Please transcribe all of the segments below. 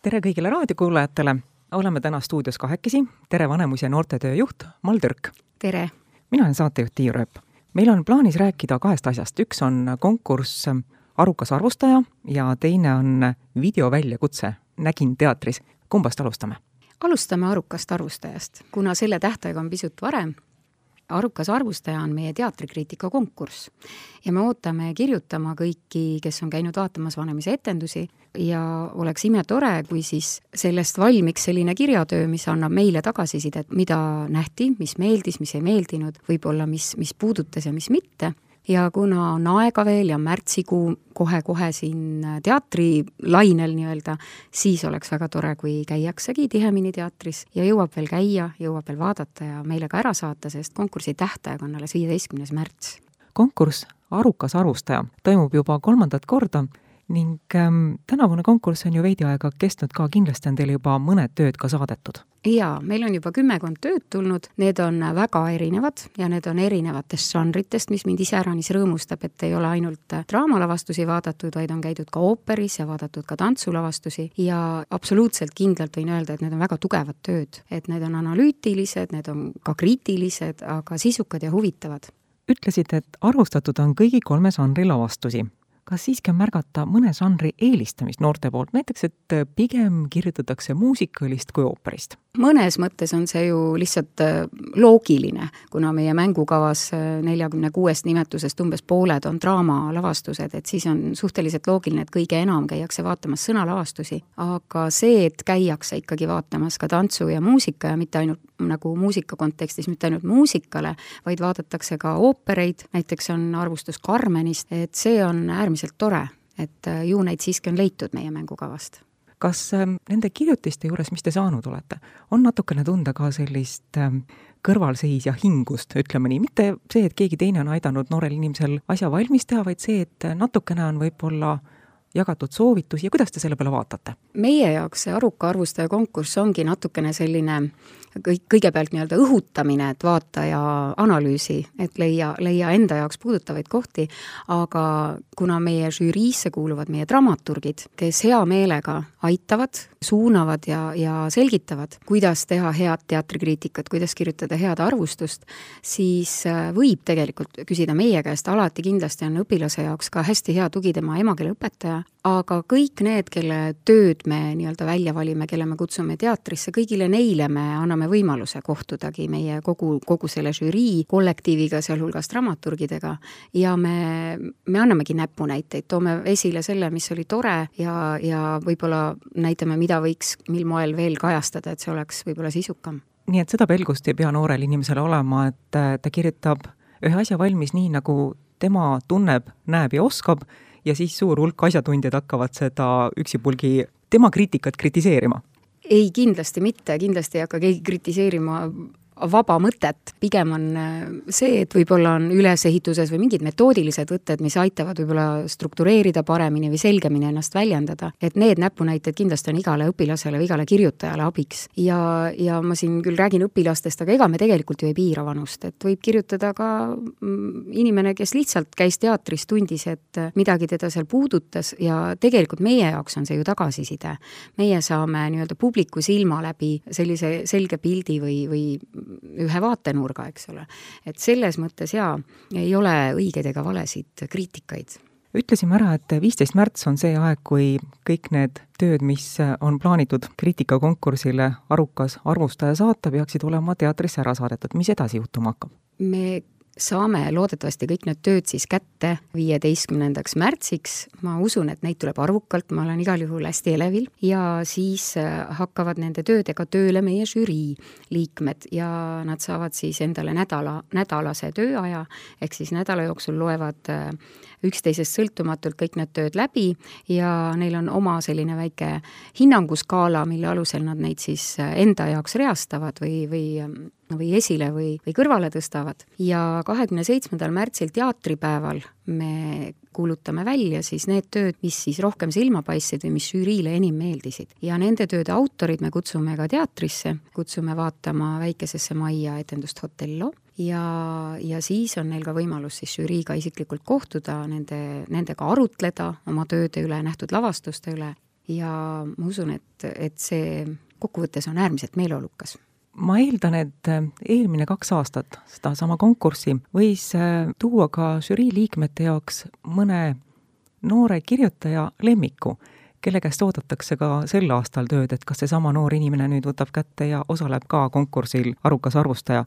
Tere kõigile raadiokuulajatele! Oleme täna stuudios kahekesi. Tere Vanemus- ja noortetöö juht Mall Türk. Tere! Mina olen saatejuht Tiiu Rööp. Meil on plaanis rääkida kahest asjast. Üks on konkurss Arukas arvustaja ja teine on videoväljakutse Nägin teatris. Kumbast alustame? Alustame Arukast arvustajast, kuna selle tähtaeg on pisut varem. Arukas arvustaja on meie teatrikriitika konkurss ja me ootame kirjutama kõiki, kes on käinud vaatamas Vanemise etendusi ja oleks imetore, kui siis sellest valmiks selline kirjatöö, mis annab meile tagasisidet, mida nähti, mis meeldis, mis ei meeldinud, võib-olla mis puudutas ja mis mitte. Ja kuna on aega veel ja märtsikuu kohe siin teatrilainel nii-öelda, siis oleks väga tore, kui käiaksegi tihemini teatris ja jõuab veel käia, jõuab veel vaadata ja meile ka ära saata, sest konkursi tähtaeg on alles 15. märts. Konkurss Arukas arvustaja toimub juba 3. korda ning tänavune konkurss on ju veidi aega kestnud ka, kindlasti on teil juba mõned tööd ka saadetud. Jaa, meil on juba 10 tööd tulnud, need on väga erinevad ja need on erinevatest žanritest, mis mind iseäranis rõõmustab, et ei ole ainult draamalavastusi vaadatud, vaid on käidud ka ooperis ja vaadatud ka tantsulavastusi ja absoluutselt kindlalt võin öelda, et need on väga tugevad tööd, et need on analüütilised, need on ka kriitilised, aga sisukad ja huvitavad. Ütlesid, et arvustatud on kõigi 3 žanri lavastusi. Kas siiski on märgata mõne žanri eelistamist noorte poolt, näiteks, et pigem kirjutatakse muusikalist kui ooperist? Mõnes mõttes on see ju lihtsalt loogiline, kuna meie mängukavas 46 nimetusest umbes pooled on draamalavastused, et siis on suhteliselt loogiline, et kõige enam käiakse vaatamas sõnalavastusi. Aga see, et käiakse ikkagi vaatamas ka tantsu ja muusika ja mitte ainult nagu muusika kontekstis, mitte ainult muusikale, vaid vaadatakse ka oopereid, näiteks on arvustus Carmenist, et see on äärmiselt tore, et ju neid siiski on leitud meie mängukavast. Kas nende kirjutiste juures, mis te saanud olete, on natukene tunda ka sellist kõrvalseis ja hingust, ütleme nii, mitte see, et keegi teine on aidanud noorel inimesel asja valmis teha, vaid see, et natukene on võib-olla jagatud soovitusi ja kuidas te selle peale vaatate? Meie jaoks see Aruka arvustaja konkurss ongi natukene selline kõigepealt nii-öelda õhutamine, et vaata ja analüüsi, et leia enda jaoks puudutavaid kohti, aga kuna meie žüriisse kuuluvad meie dramaturgid, kes hea meelega aitavad, suunavad ja selgitavad, kuidas teha head teatrikriitikat, kuidas kirjutada head arvustust, siis võib tegelikult küsida meie käest, alati kindlasti on õpilase jaoks ka hästi hea tugi tema emakeele õpetaja, aga kõik need, kelle tööd me nii-öelda välja valime, kelle me kutsume teatrisse, kõigile neile me anname võimaluse kohtudagi meie kogu selle žürii kollektiiviga, sealhulgas dramaturgidega ja me annamegi näpunäiteid, toome esile selle, mis oli tore ja võib-olla näitame, mida võiks mil moel veel kajastada, et see oleks võib-olla sisukam. Nii et seda pelgust ei pea noorel inimesele olema, et ta kirjutab ühe asja valmis nii, nagu tema tunneb, näeb ja oskab ja siis suur hulk asjatundjad hakkavad seda üksipulgi tema kriitikat kritiseerima. Ei, kindlasti mitte, kindlasti ei hakka keegi kritiseerima vaba mõtet, pigem on see, et võib-olla on ülesehituses või mingid metoodilised võtted, mis aitavad võib-olla struktureerida paremini või selgemini ennast väljendada, et need näpunäited kindlasti on igale õpilasele või igale kirjutajale abiks. Ja ma siin küll räägin õpilastest, aga ega me tegelikult ju ei piira vanust, et võib kirjutada ka inimene, kes lihtsalt käis teatris, tundis, et midagi teda seal puudutas ja tegelikult meie jaoks on see ju tagasiside. Meie saame nii-öelda publiku silma läbi sellise selge pildi või ühe vaatenurga, eks ole. Et selles mõttes ei ole õigeid ega valesid kriitikaid. Ütlesime ära, et 15. märts on see aeg, kui kõik need tööd, mis on plaanitud kriitikakonkursile Arukas arvustaja saata, peaksid olema teatrisse ära saadetud. Mis edasi juhtuma hakkab? Me saame loodetavasti kõik need tööd siis kätte 15. märtsiks. Ma usun, et neid tuleb arvukalt, ma olen igal juhul hästi elevil ja siis hakkavad nende töödega tööle meie žürii liikmed ja nad saavad siis endale nädalase tööaja, ehk siis nädala jooksul loevad üksteisest sõltumatult kõik need tööd läbi ja neil on oma selline väike hinnanguskaala, mille alusel nad neid siis enda jaoks reastavad või esile või kõrvale tõstavad. Ja 27. märtsil teatripäeval me kuulutame välja siis need tööd, mis siis rohkem silma paistsid või mis žüriile enim meeldisid. Ja nende tööde autorid me kutsume ka teatrisse, kutsume vaatama väikesesse majja etendust Hotello ja siis on neil ka võimalus siis žüriiga isiklikult kohtuda, nendega arutleda oma tööde üle, nähtud lavastuste üle ja ma usun, et see kokkuvõttes on äärmiselt meeleolukas. Ma eeldan, et eelmine 2 aastat seda sama konkurssi võis tuua ka žürii liikmete jaoks mõne noore kirjutaja lemmiku, kelle käest oodatakse ka sel aastal tööd, et kas see sama noor inimene nüüd võtab kätte ja osaleb ka konkursil Arukas arvustaja.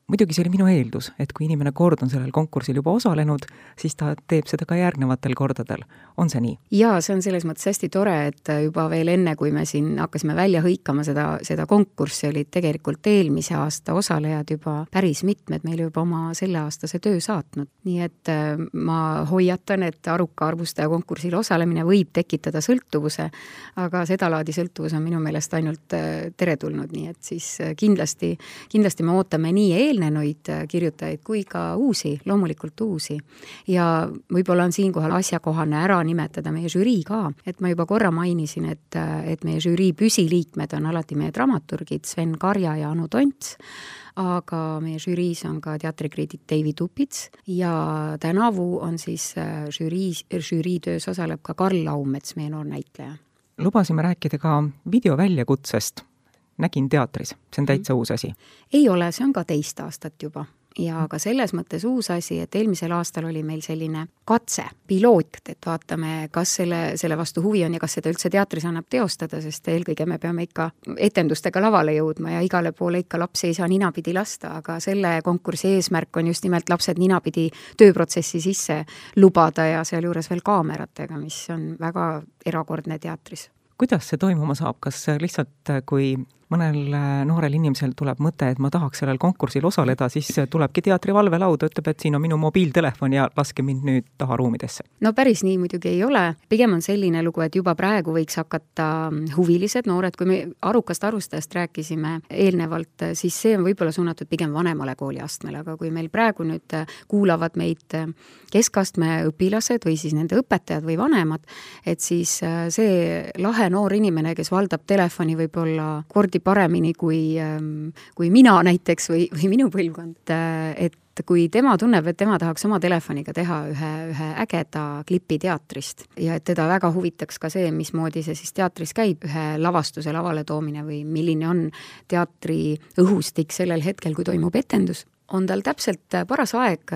Muidugi see oli minu eeldus, et kui inimene kord on sellel konkursil juba osalenud, siis ta teeb seda ka järgnevatel kordadel. On see nii? Jaa, see on selles mõttes hästi tore, et juba veel enne, kui me siin hakkasime välja hõikama seda konkurssi, olid tegelikult eelmise aasta osalejad juba päris mitmed meile juba oma selleaastase töö saatnud. Nii et ma hoiatan, et Aruka arvustaja konkursil osalemine võib tekitada sõltuvuse, aga sedalaadi sõltuvus on minu meelest ainult teretulnud, nii et siis kindlasti me ootame nii eelnenuid kirjutajaid kui ka uusi, loomulikult uusi. Ja võib-olla on siinkohal asjakohane ära nimetada meie žürii ka, et ma juba korra mainisin, et meie žürii püsiliikmed on alati meie dramaturgid Sven Karja ja Anu Tonts, aga meie žüriis on ka teatrikriitik Deivi Tupits ja tänavu on siis žürii töös osaleb ka Karl Laumets, meie noor näitleja. Lubasime rääkida ka videoväljakutsest. Nägin teatris, see on täitsa uus asi. Ei ole, see on ka 2 aastat juba. Ja ka selles mõttes uus asi, et eelmisel aastal oli meil selline katse, piloot, et vaatame, kas selle vastu huvi on ja kas seda üldse teatris annab teostada, sest eelkõige me peame ikka etendustega lavale jõudma ja igale poole ikka lapsi ei saa ninapidi lasta, aga selle konkursi eesmärk on just nimelt lapsed ninapidi tööprotsessi sisse lubada ja sealjuures veel kaameratega, mis on väga erakordne teatris. Kuidas see toimuma saab? Kas lihtsalt, kui mõnel noorel inimesel tuleb mõte, et ma tahaks sellel konkursil osaleda, siis tulebki teatri valvelauda, ütleb, et siin on minu mobiiltelefon ja laske mind nüüd taha ruumidesse? No päris nii muidugi ei ole. Pigem on selline lugu, et juba praegu võiks hakata huvilised noored, kui me Arukast arvustajast rääkisime eelnevalt, siis see on võib-olla suunatud pigem vanemale kooliastmele, aga kui meil praegu nüüd kuulavad meid keskastme õpilased või siis nende õpetajad või vanemad, et siis see lahe noor inimene, kes valdab telefoni võib-olla kordi paremini kui mina näiteks või minu põlvkond, et kui tema tunneb, et tema tahaks oma telefoniga teha ühe ägeda klipi teatrist ja et teda väga huvitaks ka see, mismoodi see siis teatris käib, ühe lavastuse lavale toomine või milline on teatri õhustik sellel hetkel, kui toimub etendus, on tal täpselt paras aeg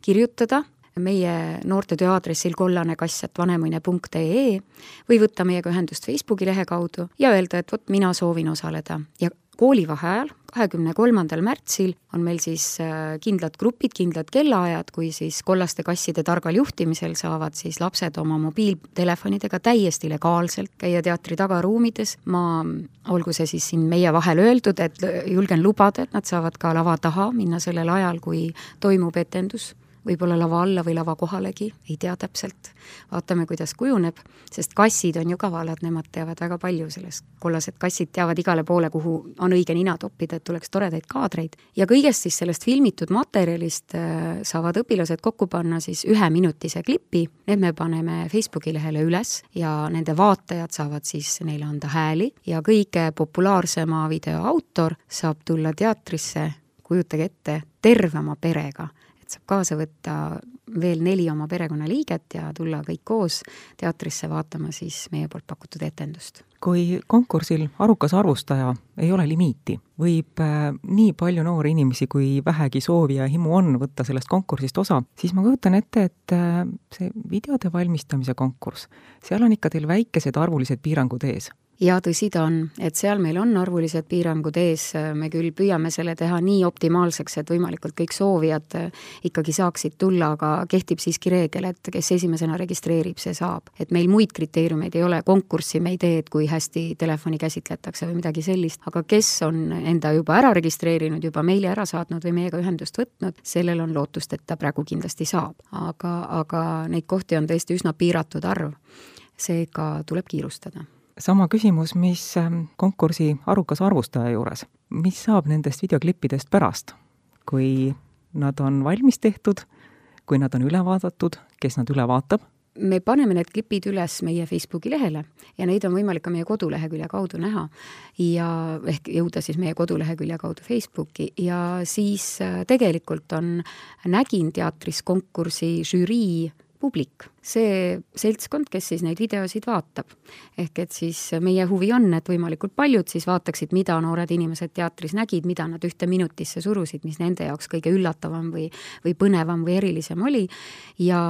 kirjutada meie noortetöö aadressil kollanekass@vanemuine.ee või võtta meiega ühendust Facebooki lehe kaudu ja öelda, et vot mina soovin osaleda. Ja koolivaheajal 23. märtsil on meil siis kindlad grupid, kindlad kellaajad, kui siis kollaste kasside targal juhtimisel saavad siis lapsed oma mobiiltelefonidega täiesti legaalselt käia teatri tagaruumides. Olgu see siis siin meie vahel öeldud, et julgen lubada, et nad saavad ka lava taha minna sellel ajal, kui toimub etendus. Võib-olla lava alla või lava kohalegi, ei tea täpselt. Vaatame, kuidas kujuneb, sest kassid on ju kavalad, nemad teavad väga palju sellest. Kollased kassid teavad igale poole, kuhu on õige nina toppida, et tuleks toredaid kaadreid. Ja kõigest siis sellest filmitud materjalist saavad õpilased kokku panna siis 1-minutise klipi. Need me paneme Facebooki lehele üles ja nende vaatajad saavad siis neile anda hääli ja kõige populaarsema video autor saab tulla teatrisse, kujutage ette, terve oma perega. Saab kaasa võtta veel 4 oma perekonnaliiget ja tulla kõik koos teatrisse vaatama siis meie poolt pakutud etendust. Kui konkursil Arukas arvustaja ei ole limiiti, võib nii palju noori inimesi, kui vähegi soovi ja himu on võtta sellest konkursist osa, siis ma kujutan ette, et see videode valmistamise konkurss, seal on ikka teil väikesed arvulised piirangud ees. Ja tõsi ta on, et seal meil on arvulised piirangud ees, me küll püüame selle teha nii optimaalseks, et võimalikult kõik soovijad ikkagi saaksid tulla, aga kehtib siiski reegel, et kes esimesena registreerib, see saab. Et meil muid kriteeriumeid ei ole, konkurssi me ei tee, et kui hästi telefoni käsitletakse või midagi sellist, aga kes on enda juba ära registreerinud, juba meile ära saatnud või meiega ühendust võtnud, sellel on lootust, et ta praegu kindlasti saab. Aga neid kohti on tõesti üsna piiratud arv, seega tuleb kiirustada. Sama küsimus, mis konkursi Arukas arvustaja juures. Mis saab nendest videoklippidest pärast, kui nad on valmis tehtud, kui nad on üle vaadatud, kes nad üle vaatab? Me paneme need klipid üles meie Facebooki lehele ja neid on võimalik ka meie kodulehekülje kaudu näha ja ehk jõuda siis meie kodulehekülje kaudu Facebooki ja siis tegelikult on Nägin teatris konkursi žürii publik. see seltskond, kes siis neid videosid vaatab. Ehk et siis meie huvi on, et võimalikult paljud siis vaataksid, mida noored inimesed teatris nägid, mida nad 1 minutisse surusid, mis nende jaoks kõige üllatavam või põnevam või erilisem oli. Ja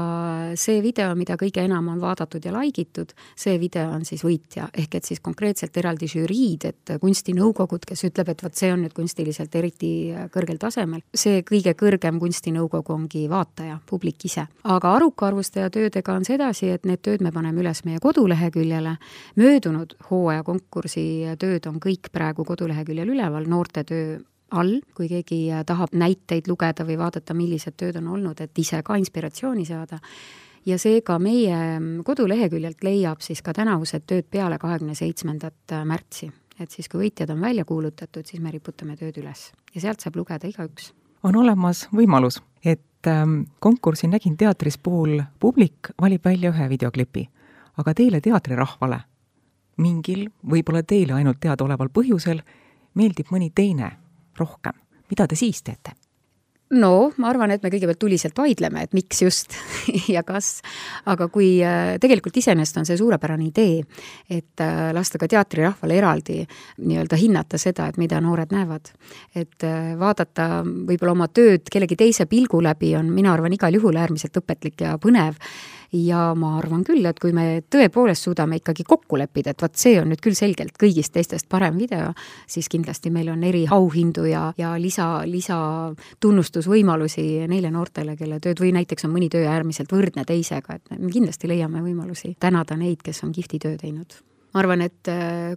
see video, mida kõige enam on vaadatud ja laigitud, see video on siis võitja. Ehk et siis konkreetselt eraldi žüriid, et kunstinõukogud, kes ütleb, et see on nüüd kunstiliselt eriti kõrgel tasemel. See kõige kõrgem kunstinõukogu ongi vaataja, publik ise. Aga Aruka arvustaja töödega on sedasi, et need tööd me paneme üles meie koduleheküljele. Möödunud hooaja konkursi tööd on kõik praegu koduleheküljel üleval, noorte töö all, kui keegi tahab näiteid lugeda või vaadata, millised tööd on olnud, et ise ka inspiratsiooni saada. Ja seega meie koduleheküljelt leiab siis ka tänavused tööd peale 27. märtsi. Et siis, kui võitjad on välja kuulutatud, siis me riputame tööd üles. Ja sealt saab lugeda igaüks. On olemas võimalus, et konkursi Nägin teatris puhul publik valib välja ühe videoklipi, aga teile teatrirahvale mingil, võib-olla teile ainult teadaoleval põhjusel meeldib mõni teine rohkem. Mida te siis teete? No, ma arvan, et me kõigepealt tuliselt vaidleme, et miks just ja kas, aga kui tegelikult iseenesest on see suurepärane idee, et lasta ka teatrirahvale eraldi nii-öelda hinnata seda, et mida noored näevad. Et vaadata võib-olla oma tööd kellegi teise pilgu läbi on, mina arvan, igal juhul äärmiselt õpetlik ja põnev. Ja ma arvan küll, et kui me tõepoolest suudame ikkagi kokku leppida, et see on nüüd küll selgelt kõigist teistest parem video, siis kindlasti meil on eri auhindu ja lisa tunnustusvõimalusi neile noortele, kelle tööd või näiteks on mõni töö äärmiselt võrdne teisega, et me kindlasti leiame võimalusi tänada neid, kes on kihvti töö teinud. Ma arvan, et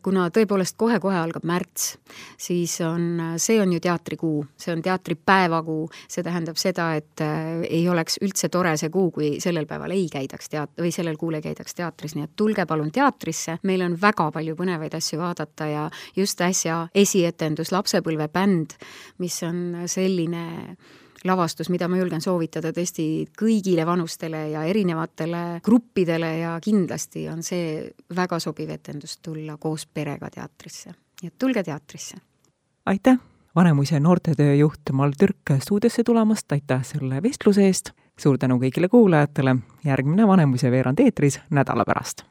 kuna tõepoolest kohe-kohe algab märts, siis see on ju teatrikuu, see on teatripäevakuu, see tähendab seda, et ei oleks üldse tore see kuu, kui sellel päeval ei käidaks või sellel kuul ei käidaks teatris, nii et tulge palun teatrisse, meil on väga palju põnevaid asju vaadata ja just äsja esietendus Lapsepõlvebänd, mis on selline lavastus, mida ma julgen soovitada tõesti kõigile vanustele ja erinevatele gruppidele ja kindlasti on see väga sobiv etendus tulla koos perega teatrisse. Nii et tulge teatrisse. Aitäh, Vanemuise noortetöö juht Mall Türk stuudiosse tulemast, aitäh selle vestluse eest. Suur tänu kõigile kuulajatele. Järgmine Vanemuise veerand eetris nädala pärast.